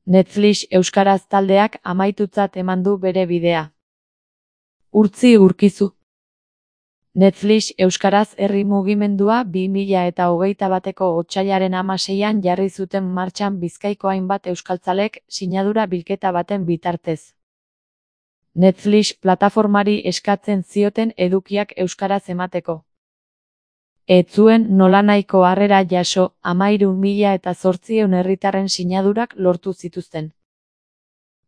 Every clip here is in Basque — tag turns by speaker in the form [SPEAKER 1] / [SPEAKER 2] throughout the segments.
[SPEAKER 1] Netflix euskaraz taldeak amaitutzat eman du bere bidea. Urtzi Urkizu. Netflix euskaraz herri mugimendua 2021ko otsailaren 16an jarri zuten martxan Bizkaiko hainbat euskaltzalek sinadura bilketa baten bitartez. Netflix plataformari eskatzen zioten edukiak euskaraz emateko. Ez zuen nolanahiko harrera jaso, 13.800 herritarren sinadurak lortu zituzten.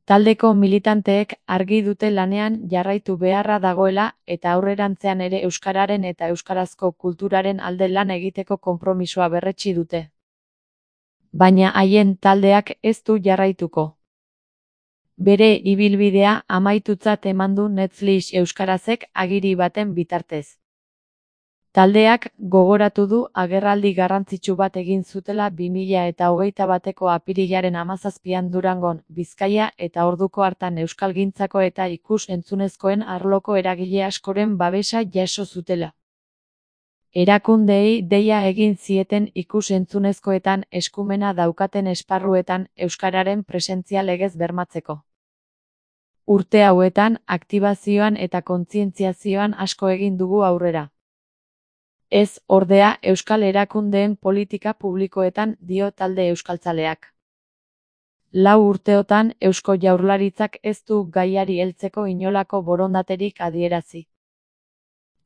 [SPEAKER 1] Taldeko militanteek argi dute lanean jarraitu beharra dagoela eta aurrerantzean ere euskararen eta euskarazko kulturaren alde lan egiteko konpromisoa berretsi dute. Baina haien taldeak ez du jarraituko. Bere ibilbidea amaitutzat eman du Netflix euskarazek agiri baten bitartez. Taldeak gogoratu du agerraldi garrantzitsu bat egin zutela 2021ko apirilaren 17an Durangon, Bizkaia eta orduko hartan euskalgintzako eta ikus-entzunezkoen arloko eragile askoren babesa jaso zutela. Erakundeei deia egin zieten ikus-entzunezkoetan eskumena daukaten esparruetan euskararen presentzia legez bermatzeko. Urte hauetan aktibazioan eta kontzientziazioan asko egin dugu aurrera. Ez, ordea, euskal erakundeen politika publikoetan, dio talde euskaltzaleak. 4 urteotan Eusko Jaurlaritzak ez du gaiari heltzeko inolako borondaterik adierazi.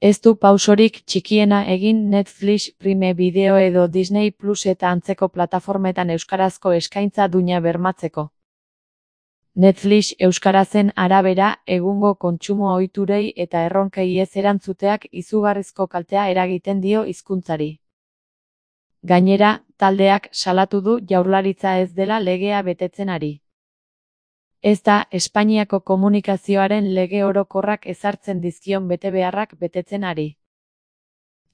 [SPEAKER 1] Ez du pausorik txikiena egin Netflix, Prime Video edo Disney Plus eta antzeko plataformetan euskarazko eskaintza duina bermatzeko. Netflix euskarazen arabera, egungo kontsumo ohiturei eta erronkei ez erantzuteak izugarrizko kaltea eragiten dio hizkuntzari. Gainera, taldeak salatu du Jaurlaritza ez dela legea betetzen ari. Ez da Espainiako komunikazioaren lege orokorrak ezartzen dizkion betebeharrak betetzen ari.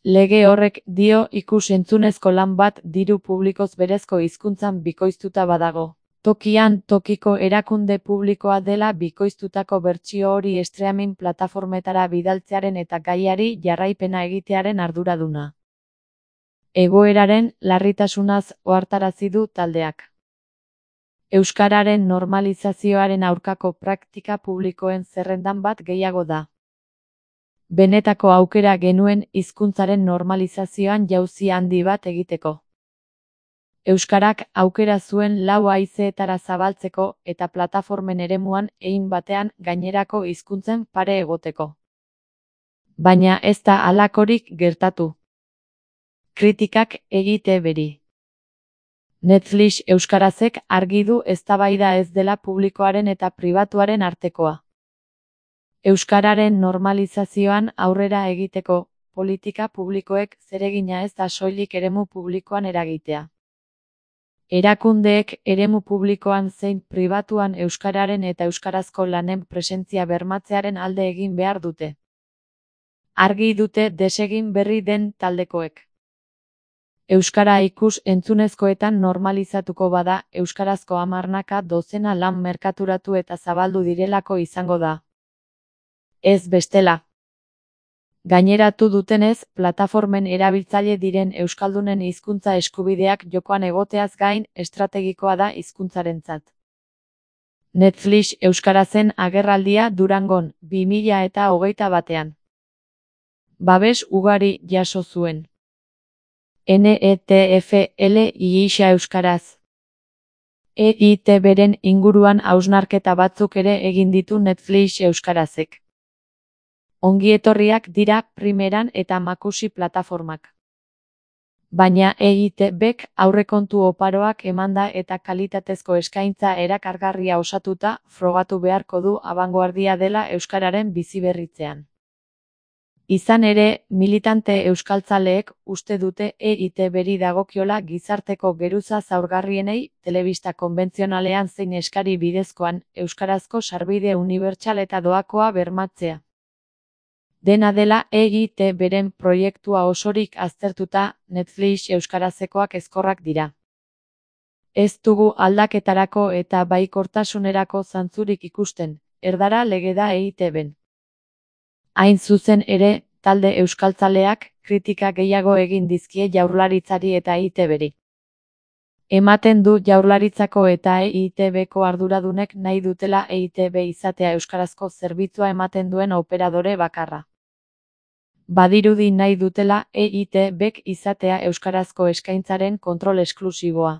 [SPEAKER 1] Lege horrek dio ikus-entzunezko lan bat diru publikoz berezko hizkuntzan bikoiztuta badago. Tokian tokiko erakunde publikoa dela bikoiztutako bertsio hori streaming plataformetara bidaltzearen eta gaiari jarraipena egitearen arduraduna. Egoeraren larritasunaz ohartarazi du taldeak. Euskararen normalizazioaren aurkako praktika publikoen zerrendan bat gehiago da. Benetako aukera genuen hizkuntzaren normalizazioan jauzi handi bat egiteko. Euskarak aukera zuen 4 haizeetara zabaltzeko eta plataformen eremuan hein batean gainerako hizkuntzen pare egoteko. Baina ez da halakorik gertatu. Kritikak egite beri. Netflix euskarazek argi du eztabaida ez dela publikoaren eta pribatuaren artekoa. Euskararen normalizazioan aurrera egiteko, politika publikoek zeregina ez da soilik eremu publikoan eragitea. Erakundeek eremu publikoan zein pribatuan euskararen eta euskarazko lanen presentzia bermatzearen alde egin behar dute. Argi dute desegin berri den taldekoek. Euskara ikus-entzunezkoetan normalizatuko bada, euskarazko 10 dozena lan merkaturatu eta zabaldu direlako izango da. Ez bestela. Gaineratu dutenez, plataformen erabiltzaile diren euskaldunen hizkuntza eskubideak jokoan egoteaz gain, estrategikoa da hizkuntzarentzat. Netflix euskarazen agerraldia Durangon, 2021an. Babes ugari jaso zuen. NETFLIXA euskaraz. EITBren inguruan hausnarketa batzuk ere egin ditu Netflix euskarazek. Ongietorriak dira Primeran eta Makusi plataformak. Baina EITBek aurrekontu oparoak emanda eta kalitatezko eskaintza erakargarria osatuta frogatu beharko du abangoardia dela euskararen biziberritzean. Izan ere, militante euskaltzaleek uste dute EITBri dagokiola gizarteko geruza zaurgarrienei telebista konbentzionalean zein eskari bidezkoan euskarazko sarbide unibertsal eta doakoa bermatzea. Dena dela EITBren proiektua osorik aztertuta, Netflix euskarazekoak ezkorrak dira. Ez dugu aldaketarako eta baikortasunerako zantzurik ikusten, erdara lege da EITBn. Hain zuzen ere, talde euskaltzaleak kritika gehiago egin dizkie Jaurlaritzari eta EITBri. Ematen du Jaurlaritzako eta EITB-ko arduradunek nahi dutela EITB izatea euskarazko zerbitzua ematen duen operadore bakarra. Badirudi nahi dutela EITB-k izatea euskarazko eskaintzaren kontrol esklusiboa.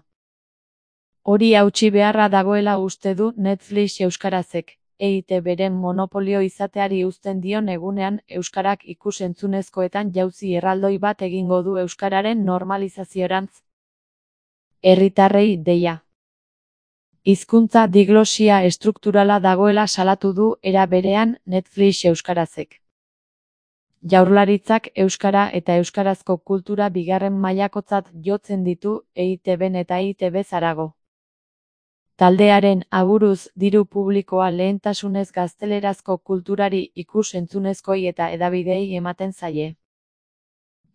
[SPEAKER 1] Hori hautsi beharra dagoela uste du Netflix euskarazek, EITB-ren monopolio izateari uzten dion egunean euskarak ikus-entzunezkoetan jauzi erraldoi bat egingo du euskararen normalizaziorantz. Herritarrei deia. Hizkuntza diglosia estrukturala dagoela salatu du era berean Netflix euskarazek. Jaurlaritzak euskara eta euskarazko kultura bigarren mailakotzat jotzen ditu EITB-n eta EITB-z harago. Taldearen aburuz diru publikoa lehentasunez gaztelerazko kulturari ikus-entzunezkoei eta hedabideei ematen zaie.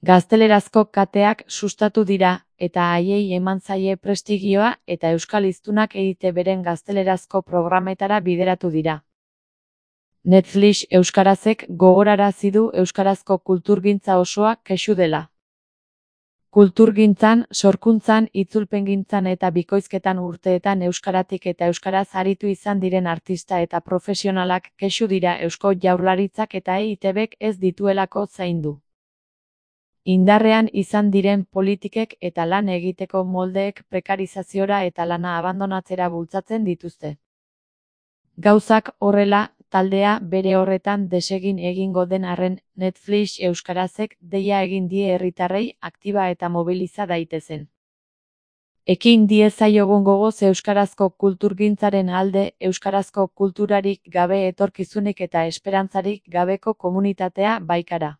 [SPEAKER 1] Gaztelerazko kateak sustatu dira, eta haiei eman zaie prestigioa eta euskal hiztunak EITB-ren gaztelerazko programetara bideratu dira. Netflix euskarazek gogorarazi du euskarazko kulturgintza osoa kexu dela. Kulturgintzan, sorkuntzan, itzulpengintzan eta bikoizketan urteetan euskaratik eta euskaraz aritu izan diren artista eta profesionalak kexu dira Eusko Jaurlaritzak eta EITB-k ez dituelako zaindu. Indarrean izan diren politikek eta lan egiteko moldeek prekarizaziora eta lana abandonatzera bultzatzen dituzte. Gauzak horrela, taldea bere horretan desegin egingo den arren, Netflix euskarazek deia egin die herritarrei aktiba eta mobiliza daitezen. Ekin diezaiogun gogoz euskarazko kulturgintzaren alde, euskarazko kulturarik gabe etorkizunik eta esperantzarik gabeko komunitatea baikara.